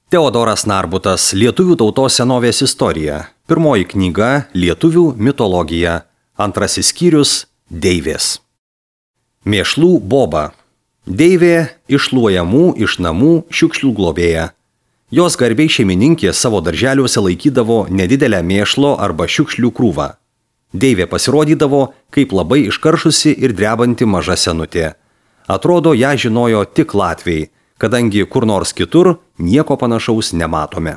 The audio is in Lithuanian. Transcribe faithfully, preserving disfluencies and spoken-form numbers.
Teodoras Narbutas, Lietuvių tautos senovės istorija. Pirmoji knyga Lietuvių mitologija. Antrasis skyrius Deivės. Mėšlų boba. Deivė iššluojamų iš namų šiukšlių globėja. Jos garbiai šeimininkė savo darželiuose laikydavo nedidelę mėšlo arba šiukšlių krūvą. Deivė pasirodydavo kaip labai iškaršusi ir drebanti maža senutė. Atrodo, ją žinojo tik latviai, kadangi kur nors kitur nieko panašaus nematome.